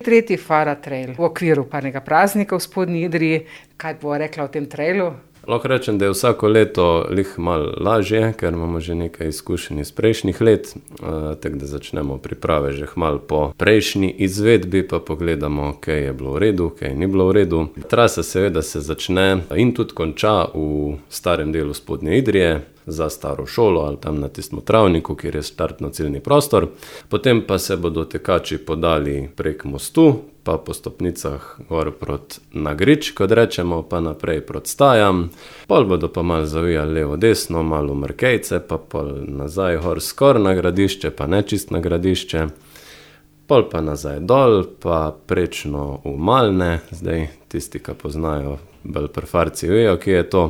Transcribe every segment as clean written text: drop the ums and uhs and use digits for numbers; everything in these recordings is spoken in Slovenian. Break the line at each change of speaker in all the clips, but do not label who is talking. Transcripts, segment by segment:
Tretji Fara trail v okviru parnega praznika v Spodnji Idriji. Kaj bo rekla o tem trailu?
Lahko rečem, da je vsako leto malo lažje, ker imamo že nekaj izkušenj iz prejšnjih let, tako da začnemo priprave že malo po prejšnji izvedbi, pa pogledamo, kaj je bilo v redu, kaj ni bilo v redu. Trasa seveda se začne in tudi konča v starem delu Spodnje Idrije, za staro šolo ali tam na tistem travniku, kjer je štartno-ciljni prostor. Potem pa se bodo tekači podali prek mostu, pa po stopnicah gor proti Nagrič, kot rečemo, pa naprej proti Stajam. Pol bodo pa malo zavijali levo-desno, malo v Markejce, pa pol nazaj gor skor na Gradišče, pa ne čist na Gradišče. Pol pa nazaj dol, pa prečno v Malne. Zdaj tisti, ki poznajo bolj prfarci, vejo, kje je to.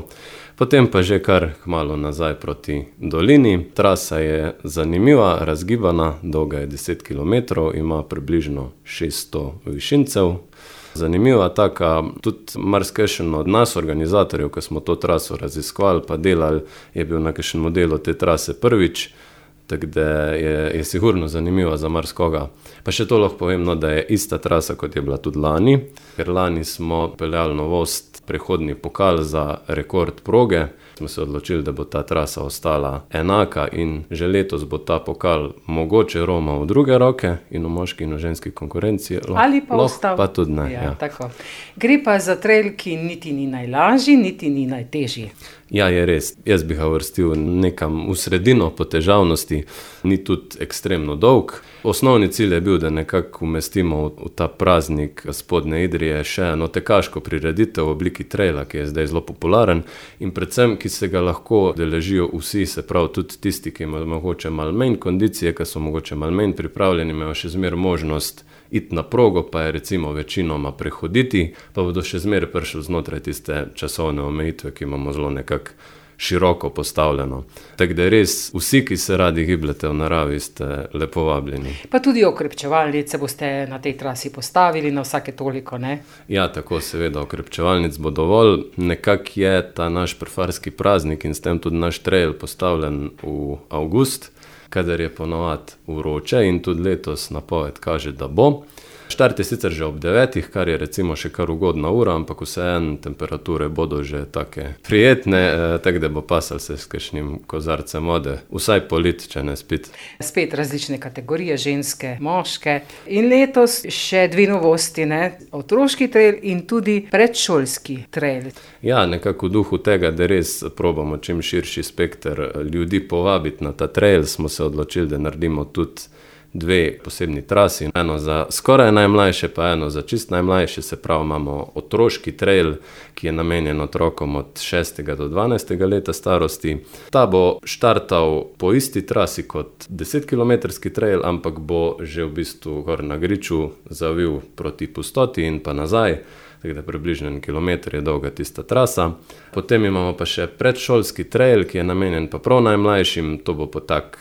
Potem pa že kar malo nazaj proti dolini. Trasa je zanimiva, razgibana, dolga je 10 km, ima približno 600 višincev. Zanimiva taka, tudi marsikajšen od nas, organizatorjev, ko smo to traso raziskovali pa delali, je bil na kakšen modelu te trase prvič, tako da je sigurno zanimiva za marsikoga. Pa še to lahko povem, da je ista trasa, kot je bila tudi lani, ker lani smo peljali novost, prehodni pokal za rekord proge. Smo se odločili, da bo ta trasa ostala enaka in že letos bo ta pokal mogoče romal v druge roke in v moški in v ženski konkurenci.
Ali pa ostal.
Pa tudi ne.
Ja. Tako. Gre pa za trail, ki niti ni najlažji, niti ni najtežji.
Ja, je res. Jaz bi ga vrstil nekam v sredino po težavnosti, ni tudi ekstremno dolg. Osnovni cilj je bil, da nekako umestimo v ta praznik Spodnje Idrije še eno tekaško prireditev v obliki traila, ki je zdaj zelo popularen in predvsem, ki se ga lahko deležijo vsi, se pravi tudi tisti, ki imajo mogoče malo manj kondicije, ki so mogoče malo manj pripravljeni, imajo še zmer možnost iti na progo, pa je recimo večinoma prehoditi, pa bodo še zmer prišli znotraj tiste časovne omejitve, ki imamo zelo nekako široko postavljeno. Tako da res vsi, ki se radi gibljete v naravi, ste lepo vabljeni.
Pa tudi okrepčevalnice boste na tej trasi postavili na vsake toliko, ne?
Ja, tako seveda, okrepčevalnic bo dovolj. Nekako je ta naš prefarski praznik in s tem tudi naš trail postavljen v avgust, kadar je ponovadi vroče in tudi letos napoved kaže, da bo. Štart je sicer že ob 9, kar je recimo še kar ugodna ura, ampak vseeno temperature bodo že take prijetne, tako da bo pasal se s kakšnim kozarcem vode, vsaj polit, če ne spit.
Spet različne kategorije, ženske, moške. In letos še dve novosti, ne? Otroški trail in tudi predšolski trail.
Ja, nekako v duhu tega, da res probamo čim širši spekter ljudi povabiti na ta trail, smo se odločili, da naredimo tudi dve posebni trasi, eno za skoraj najmlajše, pa eno za čist najmlajše, se pravi imamo otroški trail, ki je namenjen otrokom od 6. do 12. leta starosti. Ta bo štartal po isti trasi kot 10-kilometrski trail, ampak bo že v bistvu gor na Griču zavil proti Pustoti in pa nazaj, tako da približno 1 kilometer je dolga tista trasa. Potem imamo pa še predšolski trail, ki je namenjen pa prav najmlajšim, to bo pa tak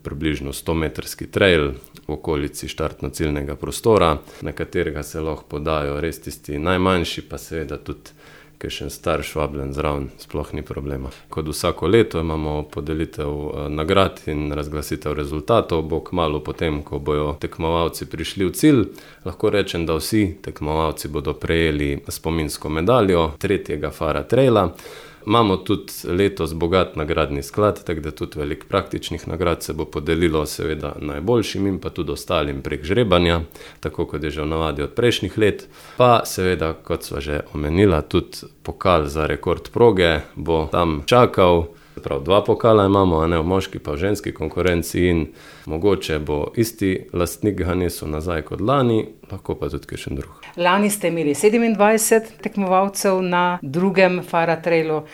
približno 100-metrski trail v okolici štartno-ciljnega prostora, na katerega se lahko podajo res tisti najmanjši, pa seveda tudi kakšen starš vabljen zraven, sploh ni problema. Kot vsako leto imamo podelitev nagrad in razglasitev rezultatov, bo kmalu potem, ko bojo tekmovalci prišli v cilj. Lahko rečem, da vsi tekmovalci bodo prejeli spominsko medaljo tretjega Fara traila. Imamo tudi letos bogat nagradni sklad, tako da tudi veliko praktičnih nagrad se bo podelilo seveda najboljšim in pa tudi ostalim prek žrebanja, tako kot je že v navadi od prejšnjih let. Pa seveda, kot sva že omenila, tudi pokal za rekord proge bo tam čakal. Prav 2 pokala imamo, a ne, v moški pa v ženski konkurenci in mogoče bo isti lastnik ga nesel nazaj kot lani, lahko pa tudi kakšen drug.
Lani ste imeli 27 tekmovalcev na drugem Fara trailu.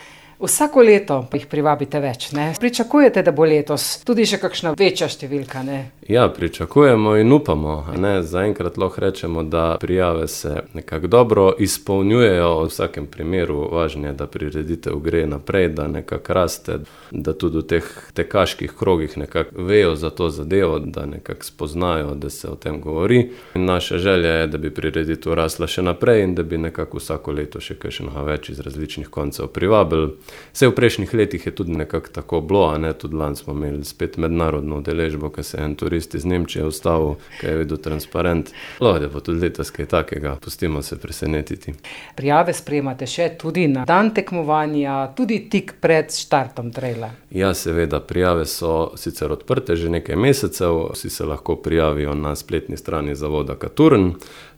Vsako leto jih privabite več, ne? Pričakujete, da bo letos tudi še kakšna večja številka, ne?
Ja, pričakujemo in upamo, ne? Zaenkrat lahko rečemo, da prijave se nekako dobro izpolnjujejo. V vsakem primeru važno je, da prireditev gre naprej, da nekako raste, da tudi v teh tekaških krogih nekako vejo za to zadevo, da nekako spoznajo, da se o tem govori. In naša želja je, da bi prireditev rasla še naprej in da bi nekako vsako leto še kakšnega več iz različnih koncev privabili. Vse v prejšnjih letih je tudi nekako tako bilo, a ne, tudi lani smo imeli spet mednarodno udeležbo, ko se je en turist iz Nemčije ustavil, ko je videl transparent. Lahko je pa tudi letos kaj takega, pustimo se presenetiti.
Prijave sprejemate še tudi na dan tekmovanja, tudi tik pred štartom traila.
Ja, seveda, prijave so sicer odprte že nekaj mesecev, vsi se lahko prijavijo na spletni strani zavoda Katurn,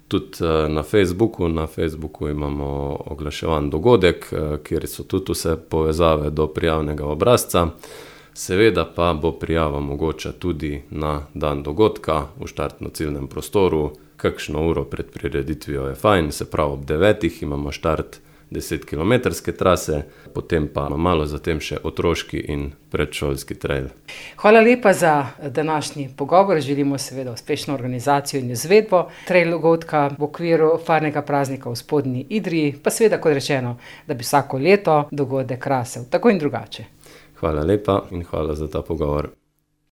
tudi na Facebooku imamo oglaševan dogodek, kjer so tudi vse povezave do prijavnega obrazca. Seveda pa bo prijava mogoča tudi na dan dogodka v štartno-ciljnem prostoru. Kakšno uro pred prireditvijo je fajn, se pravi ob 9 imamo štart 10-kilometrske trase, potem pa malo zatem še otroški in predšolski trail.
Hvala lepa za današnji pogovor. Želimo seveda uspešno organizacijo in izvedbo trail dogodka v okviru farnega praznika v Spodnji Idriji, pa seveda, kot rečeno, da bi vsako leto dogodek rasel tako in drugače.
Hvala lepa in hvala za ta pogovor.